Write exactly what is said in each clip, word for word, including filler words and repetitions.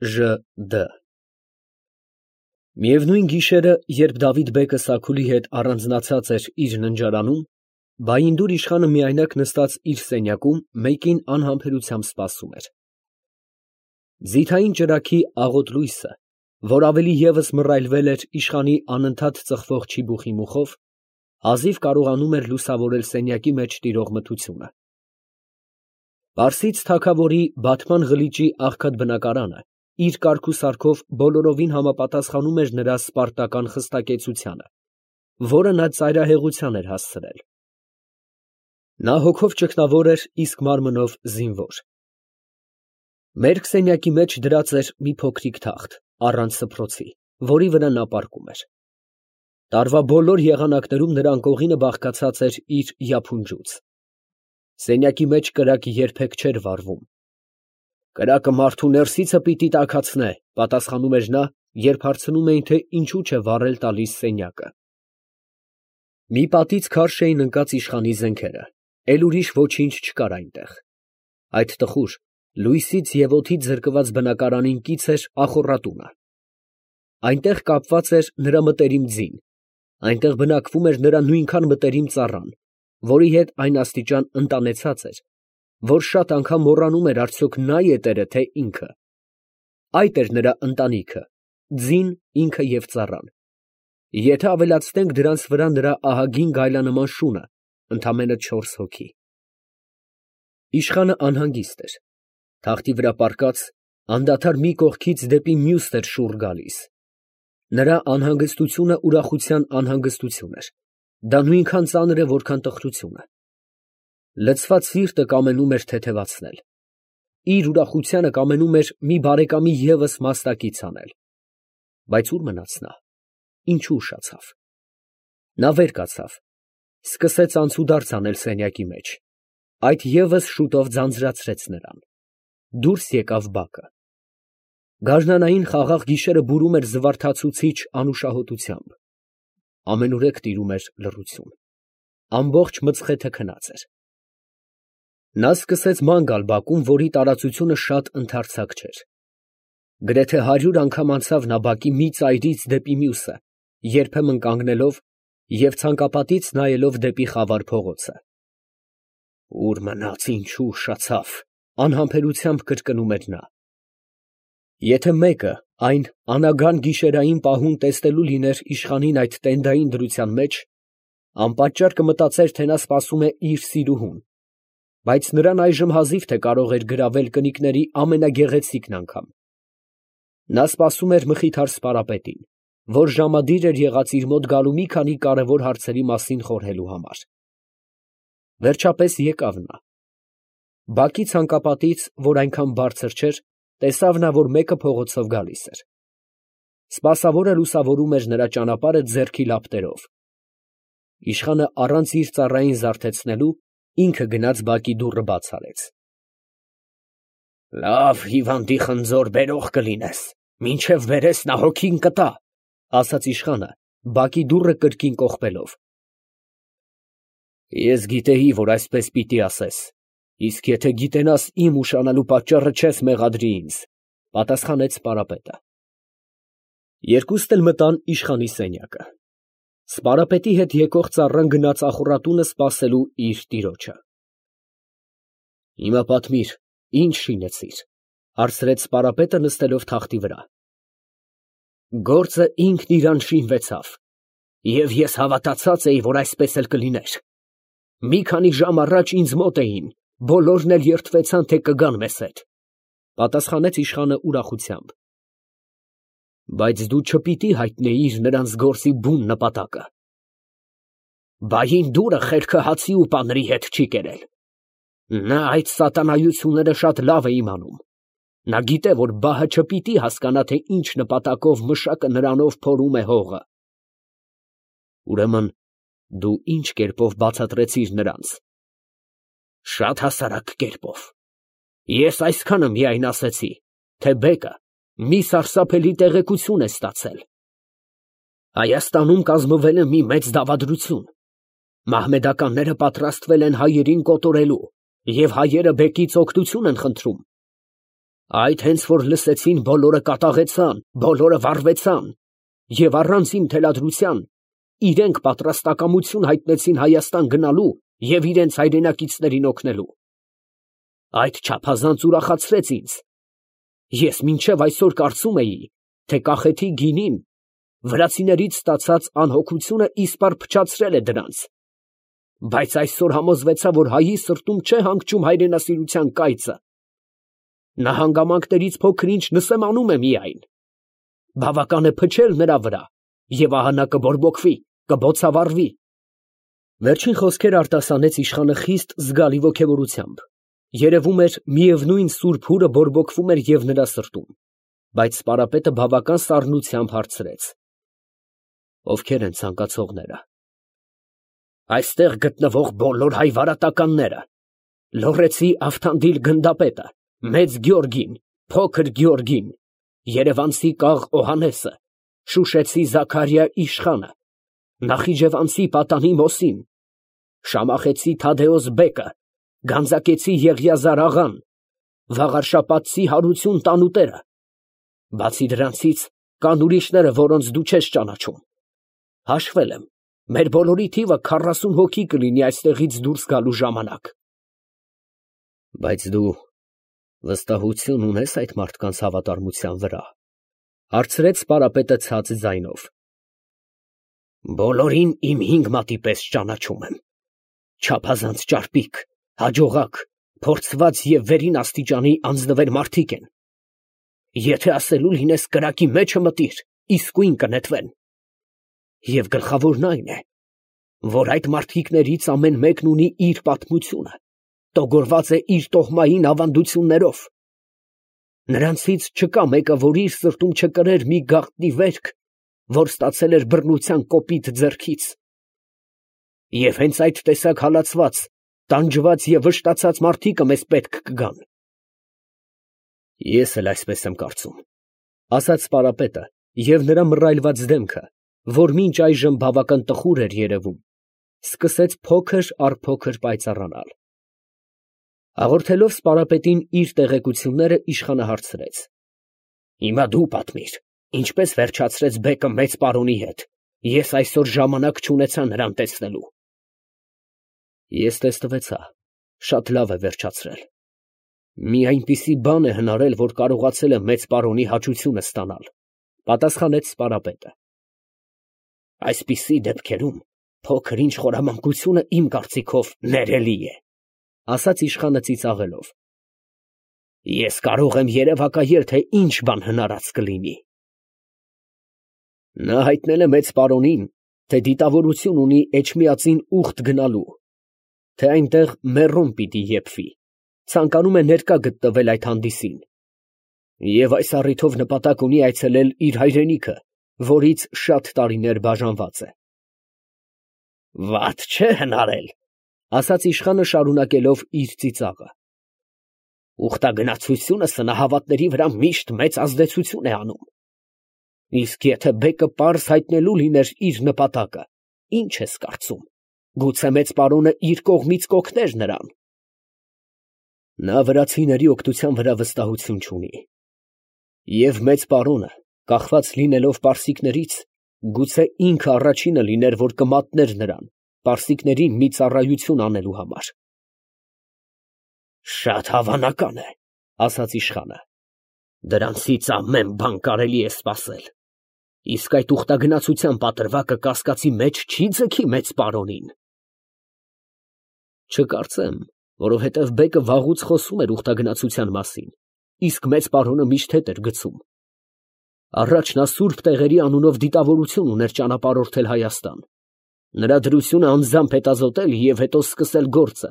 Ժ Դ Միևնույն գիշերը, երբ Դավիթ֊բեկը Սաքուլի հետ առանձնացած էր իր ննջարանում, Բայինդուր իշխանը միայնակ նստած իր սենյակում մեկին անհամբերությամբ սպասում էր։ Ձիթային ճրագի աղոտ լույսը, որ ավելի ևս մռայլվել էր իշխանի անընդհատ ծխվող չիբուխի մուխով, հազիվ կարողանում էր լուսավորել սենյակի մեջ տիրող մթությունը։ Պարսից թագավորի Բաթման Ղլիճի աղքատ բնակարանը իր կարգուսարքով բոլորովին համապատասխանում էր նրա սպարտական խստակեցությանը, որը նա ծայրահեղության էր հասցրել։ Նա հոգով ճգնավոր էր, իսկ մարմնով զինվոր։ Մերկ սենյակի մեջ դրած էր մի փոքրիկ թախտ, առանց սփռոցի, որի վրա նա պառկում էր։ Տարվա բոլոր եղանակներում նրա անկողինը բաղկացած էր իր յափունջուց։ Սենյակի մեջ կրակը երբեք չէր վառվում։ Կրակը մարդու ներսիցը պիտի տաքացնե, պատասխանում էր նա, երբ հարցնում էին, թե ինչու չէ վառել տալիս սենյակը։ Մի պատից քարշ էին ընկած իշխանի զենքերը, էլ ուրիշ ոչինչ չկար այնտեղ։ Այդ տխուր, լույսից և օդից զրկված բնակարանին կից էր ախոռատունը։ Այնտեղ կապված էր նրա մտերիմ ձին, այնտեղ բնակվում էր նրա նույնքան մտերիմ ծառան, որի հետ այն աստիճան ընտանեցած էր, որ շատ անգամ մոռանում էր արդյոք նա ետերը, թե ինքը։ Այդ էր նրա ընտանիքը, ձին, ինքը և ծառան։ Եթե ավելացնենք դրանց վրա նրա ահագին գայլանման շունը, ընդամենը չորս հոգի։ Իշխանը անհանգիստ էր։ Թախտի վրա պառկած, անդադար մի կողքից դեպի մյուսն էր շուռ գալիս։ Նրա անհանգստությունը ուրախության անհանգստություն էր։ Դա նույնքան ծանր է, որքան տխրությունը։ Լցված սիրտը կամենում էր թեթևացնել։ Իր ուրախությանը կամենում էր մի բարեկամի ևս մաստակից անել։ Բայց ո՞ւր մնաց նա, ինչու ուշացավ։ Նա վեր կացավ, սկսեց անցուդարձ անել սենյակի մեջ։ Այդ ևս շուտով ձանձրացրեց նրան։ Դուրս եկավ բակը։ Գարնանային խաղաղ գիշերը բուրում էր զվարթացուցիչ անուշահոտությամբ։ Ամենուրեք տիրում էր լռություն։ Ամբողջ մծխեթը քնած էր։ Նա սկսեց ման գալ բակում, որի տարածությունը շատ ընդարձակ չէր։ Գրեթե հարյուր անգամ անցավ նա բակի մի ծայրից դեպի մյուսը, երբեմն կանգնելով և ցանկապատից նայելով դեպի խավար փողոցը։ Ո՞ւր մնաց, ինչու ուշացավ, անհամբերությամբ կրկնում էր նա։ Եթե մեկը այն անագան գիշերային պահուն տեսնելու լիներ իշխանին այդ տենդային դրության մեջ, անպատճառ կմտածեր, թե նա սպասում է իր սիրուհուն, բայց նրան այժմ հազիվ թե կարող էր գրավել կնիկների ամենագեղեցիկն անգամ։ Նա սպասում էր մխիթար սպարապետին, որ ժամադիր էր եղած իր մոտ գալու մի քանի կարևոր հարցերի մասին խորհելու համար։ Վերջապես եկավ նա։ Բակի ցանկապատից, որ այնքան բարձր չէր, տեսավ նա, որ մեկը փողոցով գալիս էր։ Սպասավորը լուսավորում էր նրա ճանապարհը ձեռքի լապտերով։ Իշխանը առանց իր ծառային զարթեցնելու ինքը գնաց բակի դուռը բաց արեց։ Լավ հիվանդի խնձոր բերող կլինես, մինչև բերես նա հոգին կտա, ասաց իշխանը, բակի դուռը կրկին կողպելով։ Ես գիտեի, որ այսպես պիտի ասես, իսկ եթե գիտենաս իմ ուշանալու պատճառը չես մեղադրի ինձ, պատասխանեց սպարապետը։ Երկուսն էլ մտան իշխանի սենյակը։ Սպարապետի հետ եկող ծառան գնաց ախոռատունը սպասելու իր տիրոջը։ Հիմա պատմիր, ինչ շինեցիր, հարցրեց սպարապետը նստելով թախտի վրա։ Գործը ինքն իրան շինվեցավ, և ես հավատացած էի, որ այսպես էլ կլիներ։ Մի քանի ժամ առաջ ինձ մոտ էին, բոլորն էլ երդվեցան, թե կգան մեզ հետ, պատասխանեց իշխանը ուրախությամբ։ Բայց դու չպիտի հայտնեիր նրանց գործի բուն նպատակը։ Բայինդուրը խելքը հացի ու պանրի հետ չի կերել։ Նա այդ սատանայությունները շատ լավ է իմանում։ Նա գիտե, որ բահը չպիտի հասկանա, թե ինչ նպատակով մշակը նրանով փորում է հողը։ Ուրեմն դու ինչ կերպով բացատրեցիր նրանց։ Շատ հասարակ կերպով։ Ես այսքանը միայն ասեցի, թե բեկը մի սարսափելի տեղեկություն է ստացել։ Հայաստանում կազմվել է մի մեծ դավադրություն։ Մահմեդականները պատրաստվել են հայերին կոտորելու, և հայերը բեկից օգնություն են խնդրում։ Այդ հենց որ լսեցին, բոլորը կատաղեցան, բոլորը վառվեցան և առանց իմ թելադրության իրենք պատրաստակամություն հայտնեցին Հայաստան գնալու և իրենց հայրենակիցներին օգնելու։ Այդ չափազանց ուրախացրեց ինձ։ Ես մինչև այսօր կարծում էի, թե կախեթի գինին վրացիներից ստացած անհոգությունը իսպառ փչացրել է դրանց, բայց այսօր համոզվեցա, որ հայի սրտում չէ հանգչում հայրենասիրության կայծը։ Նա հանգամանքներից փոքր-ինչ նսեմանում է միայն։ Բավական է փչել նրա վրա, և ահա նա կբորբոքվի, կբոցավառվի։ Վերջին խոսքերը արտասանեց իշխանը խիստ զգալի ոգևորությամբ. երևում էր, միևնույն սուրբ հուրը բորբոքվում էր և նրա սրտում, բայց սպարապետը բավական սառնությամբ հարցրեց. ովքե՞ր են ցանկացողները։ Այստեղ գտնվող բոլոր հայ վարատականները, Լոռեցի Ավթանդիլ գնդապետը, Մեծ Գյորգին, Փոքր Գյորգին, երևանցի Կաղ Օհաննեսը, շուշեցի Զաքարիա իշխանը, նախիջևանցի Պատանի Մոսին, շամախեցի Թադեոս բեկը, գանձակեցի Եղիազար աղան, վաղարշապատցի Հարություն տանուտերը, բացի դրանցից կան ուրիշները, որոնց դու չես ճանաչում։ Հաշվել եմ, մեր բոլորի թիվը քառասուն հոգի կլինի այստեղից դուրս գալու ժամանակ։ Բայց դու վստահություն ունե՞ս այդ մարդկանց հավատարմության վրա, հարցրեց սպարապետը ցած ձայնով։ Բոլորին իմ հինգ մատի պես ճանաչում եմ, չափազանց ճարպիկ, հաջողակ, փորձված և վերին աստիճանի անձնվեր մարդիկ են։ Եթե ասելու լինես կրակի մեջը մտիր, իսկույն կնետվեն։ Եվ գլխավորն այն է, որ այդ մարդիկներից ամեն մեկն ունի իր պատմությունը, տոգորված է իր տոհմային ավանդություններով։ Նրանցից չկա մեկը, որ իր սրտում չկրեր մի գաղտնի վերք, որ ստացել էր բռնության կոպիտ ձեռքից։ Եվ հենց այդ տեսակ հալածված, տանջված և վշտացած մարդիկը մեզ պետք կգան։ Ես էլ այսպես եմ կարծում, ասաց սպարապետը, և նրա մռայլված դեմքը, որ մինչ այժմ բավական տխուր էր երևում, սկսեց փոքր առ փոքր պայծառանալ։ Հաղորդելով սպարապետին իր տեղեկությունները, իշխանը հարցրեց. Հիմա դու պատմիր, ինչպես վերջացրեց բեկը մեծ պարոնի հետ, ես այսօր ժամանակ չունեցա նրան տեսնելու։ Ես տեսնվեցա, շատ լավ է վերջացրել։ Մի այնպիսի բան է հնարել, որ կարողացել է մեծ պարոնի հաճությունը ստանալ, պատասխանեց սպարապետը։ Այսպիսի դեպքերում փոքր-ինչ խորամանկությունը իմ կարծիքով ներելի է, ասաց իշխանը ծիծաղելով։ Ես կարող եմ երևակայել, թե ինչ բան հնարած կլինի։ Նա հայտնել է մեծ պարոնին, թե դիտավորություն ունի Էջմիածին ուխտ գնալու, թե այնտեղ մեռոն պիտի եփվի, ցանկանում է ներկա գտնվել այդ հանդիսին, և այս առիթով նպատակ ունի այցելել իր հայրենիքը, որից շատ տարիներ բաժանված է։ Վատ չէ հնարել, ասաց իշխանը շարունակելով իր ծիծաղը։ Ուխտագնացությունը սնահավատների վրա միշտ մեծ ազդեցություն է անում։ Իսկ եթե բեկը պարզ հայտնելու լիներ իր նպատակը, ինչ ես կարծում, գուցե մեծ պարոնը իր կողմից կօգներ նրան։ Նա վրացիների օգնության վրա վստահություն չունի։ Եվ մեծ պարոնը, կախված լինելով պարսիկներից, գուցե ինքը առաջինը լիներ, որ կմատներ նրան, պարսիկներին մի ծառայություն անելու համար։ Շատ հավանական է, ասաց իշխանը։ Դրանցից ամեն բան կարելի է սպասել։ Իսկ այդ ուխտագնացության պատրվակը կասկածի մեջ չի ձգի մեծ պարոնին։ Չկարծեմ, որովհետև բեկը վաղուց խոսում էր ուխտագնացության մասին, իսկ մեծ պարոնը միշտ հետ էր գցում։ Առաջ նա սուրբ տեղերի անունով դիտավորություն ուներ ճանապարհորդել Հայաստան, նրա դրությունը անձամբ հետազոտել և հետո սկսել գործը,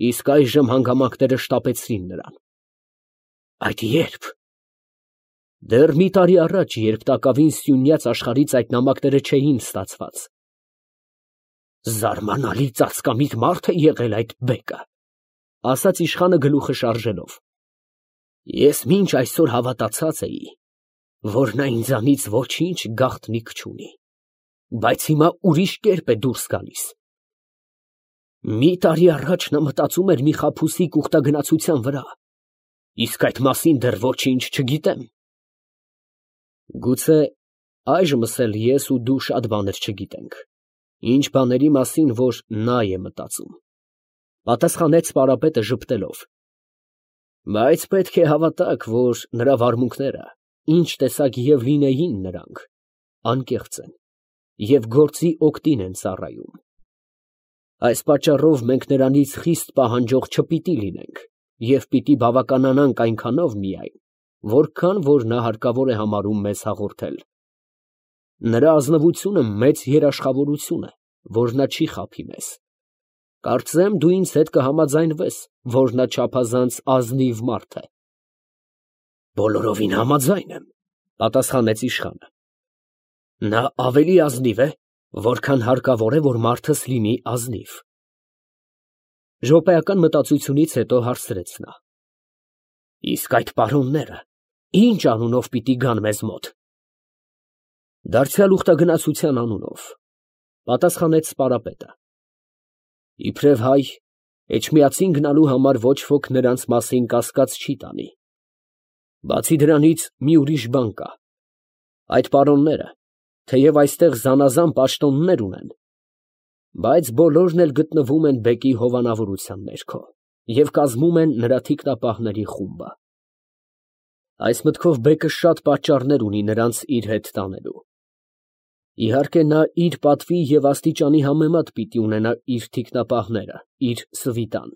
իսկ այժմ հանգամանքները շտապեցրին նրան։ Այդ ե՞րբ։ Դեռ մի տարի առաջ, երբ տակավին սյունյաց աշխարհից այդ նամակները չէին ստացված։ Զարմանալի ծածկամիտ մարդ է եղել այդ բեկը, ասաց իշխանը գլուխը շարժելով։ Ես մինչ այսօր հավատացած էի, որ նա ինձանից ոչինչ գաղտնիք չունի, բայց հիմա ուրիշ կերպ է դուրս գալիս։ Մի տարի առաջ նա մտածում էր մի խաբուսիկ ուխտագնացության վրա, Իսկ այդ մասին դեռ ոչինչ չգիտեմ։ Գուցե այժմս էլ ես ու դու շատ բաներ չգիտենք, ինչ բաների մասին, որ նա է մտածում, պատասխանեց Սպարապետը ժպտելով։ Բայց պետք է հավատաք, որ նրա վարմունքները, ինչ տեսակ և լինեին նրանք, անկեղծ են և գործի օգտին են ծառայում։ Այս պատճառով մենք նրանից խիստ պահանջող չպիտի լինենք և պիտի բավականանանք այնքանով միայն, որքան որ նա հարկավոր է համարում մեզ հաղորդել։ Նրա ազնվությունը մեծ երաշխավորություն է, որ նա չի խաբի մեզ։ Կարծեմ, դու ինձ հետ կհամաձայնվես, որ նա չափազանց ազնիվ մարդ է։ Բոլորովին համաձայն եմ, պատասխանեց իշխանը։ Նա ավելի ազնիվ է, որքան հարկավոր է, որ մարդս լինի ազնիվ։ Րոպեական մտածությունից հետո հարցրեց նա. Իսկ այդ պարոնները ի՞նչ անունով պիտի գան մեզ մոտ։ Դարձյալ ուխտագնացության անունով, պատասխանեց Սպարապետը։ Իբրև հայ, Էջմիածին գնալու համար ոչ ոք նրանց մասին կասկած չի տանի։ Բացի դրանից մի ուրիշ բան կա. այդ պարոնները, թեև այստեղ զանազան պաշտոններ ունեն, բայց բոլորն էլ գտնվում են բեկի հովանավորության ներքո և կազմում են նրա թիկնապահների խումբը։ Այս մտքով բեկը շատ պատճառներ ունի նրանց իր հետ տանելու։ Իհարկե նա իր պատվի և աստիճանի համեմատ պիտի ունենա իր թիկնապահները, իր սվիտան,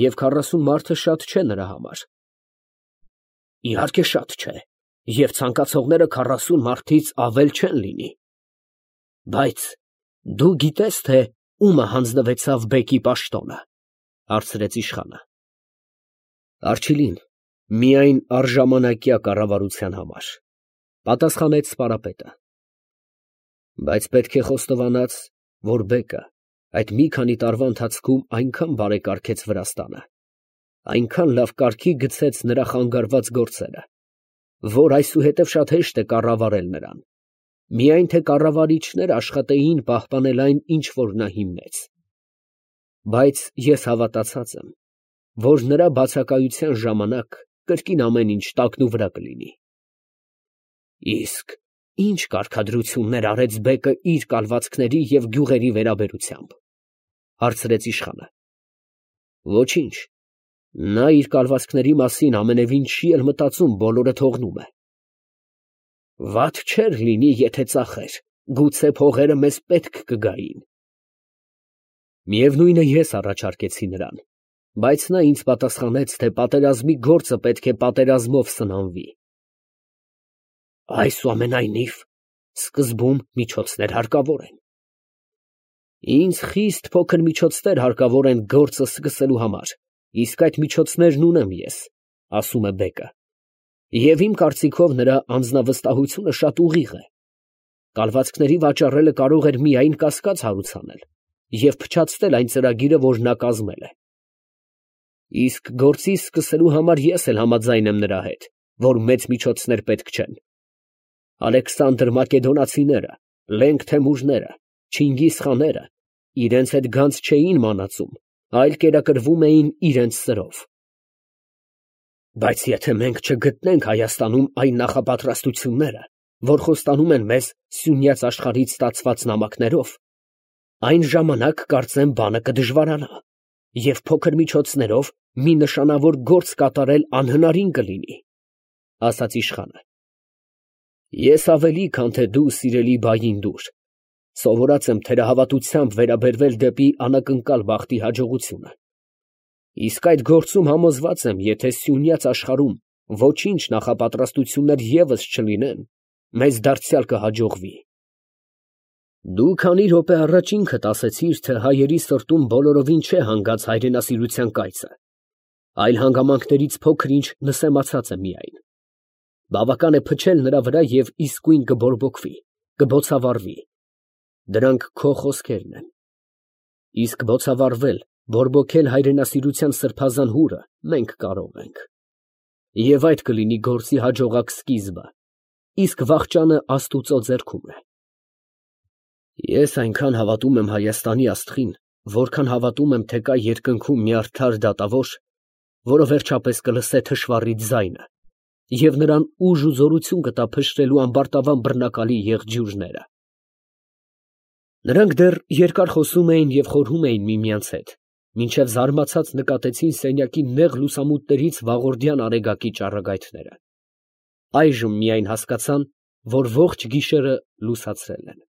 և քառասուն մարդը շատ չէ նրա համար։ Իհարկե շատ չէ, և ցանկացողները քառասուն մարդից ավել չեն լինի։ Բայց դու գիտե՞ս, թե ումը հանձնվեցավ բեկի պաշտոնը, հարցրեց իշխանը։ Առջիլին, միայն առժամանակյա կառավարության համար, պատասխանեց Սպարապետը։ Բայց պետք է խոստովանած, որ բեկը այդ մի քանի տարվա ընթացքում այնքան բարեկարգեց Վրաստանը, այնքան լավ կարգի գցեց նրա խանգարված գործերը, որ այսուհետև շատ հեշտ է կառավարել նրան, միայն թե կառավարիչներ աշխատեին պահպանել այն, ինչ որ նա հիմնեց։ Բայց ես հավատացած եմ, որ նրա բացակայության ժամանակ կրկին ամեն ինչ տակնուվրա կլինի։ Իսկ ի՞նչ կարգադրություններ արեց բեկը իր կալվածքների և գյուղերի վերաբերությամբ, հարցրեց իշխանը։ Ոչինչ, նա իր կալվածքների մասին ամենևին չի էլ մտածում, բոլորը թողնում է։ Վատ չէր լինի, եթե ծախեր, գուցե փողերը մեզ պետք կգային։ Միևնույն է, ես առաջարկեցի նրան, բայց նա ինձ պատասխանեց, թե պատերազմի գործը պետք է պատերազմով սնանվի։ Այսուամենայնիվ, սկզբում միջոցներ հարկավոր են։ Ինձ խիստ փոքր միջոցներ հարկավոր են գործը սկսելու համար, իսկ այդ միջոցներն ունեմ ես, ասում է բեկը։ Եվ իմ կարծիքով նրա անձնավստահությունը շատ ուղիղ է։ Կալվածքների վաճառելը կարող էր միայն կասկած հարուցանել և փչացնել այն ծրագիրը, որ նա կազմել է։ Իսկ գործի սկսելու համար ես էլ համաձայն եմ նրա հետ, որ մեծ միջոցներ պետք չեն։ Ալեքսանդր Մակեդոնացիները, Լենգ Թեմուրները, Չինգիզ խաները իրենց հետ գանձ չէին մանածում, այլ կերակրվում էին իրենց սրով։ Բայց եթե մենք չգտնենք Հայաստանում այն նախապատրաստությունները, որ խոստանում են մեզ սյունյաց աշխարհից ստացված նամակներով, այն ժամանակ կարծեմ բանը կդժվարանա, և փոքր միջոցներով մի նշանավոր գործ կատարել անհնարին կլինի, ասաց իշխանը։ Ես ավելի, քան թե դու, սիրելի Բայինդուր, սովորած եմ թերահավատությամբ վերաբերվել դեպի անակնկալ բախտի հաջողությունը։ Իսկ այդ գործում համոզված եմ, եթե սյունյաց աշխարհում ոչինչ նախապատրաստություններ ևս չլինեն, մեզ դարձյալ կհաջողվի։ Դու քանի րոպե առաջ ինքդ ասեցիր, թե հայերի սրտում բոլորովին չէ հանգած հայրենասիրության կայծը, այլ հանգամանքներից փոքր-ինչ նսեմացած է միայն։ Բավական է փչել նրա վրա և իսկույն կբորբոքվի, կբոցավառվի։ Դրանք քո խոսքերն են։ Իսկ բոցավառվել, բորբոքել հայրենասիրության սրբազան հուրը մենք կարող ենք։ Եվ այդ կլինի գործի հաջողակ սկիզբը, իսկ վախճանը Աստուծո ձեռքում է։ Ես այնքան հավատում եմ Հայաստանի աստղին, որքան հավատում եմ, թե կա երկնքում մի արդար դատավոր, որը վերջապես կլսե թշվառի ձայնը, և նրան ուժ ու զորություն կտա փշրելու ամբարտավան բռնակալի եղջյուրները։ Նրանք դեռ երկար խոսում էին և խորհում էին միմյանց հետ, մինչև զարմացած նկատեցին սենյակի նեղ լուսամուտներից վաղորդյան արեգակի ճառագայթները. այժմ միայն հասկացան, որ ողջ գիշերը լուսացրել են։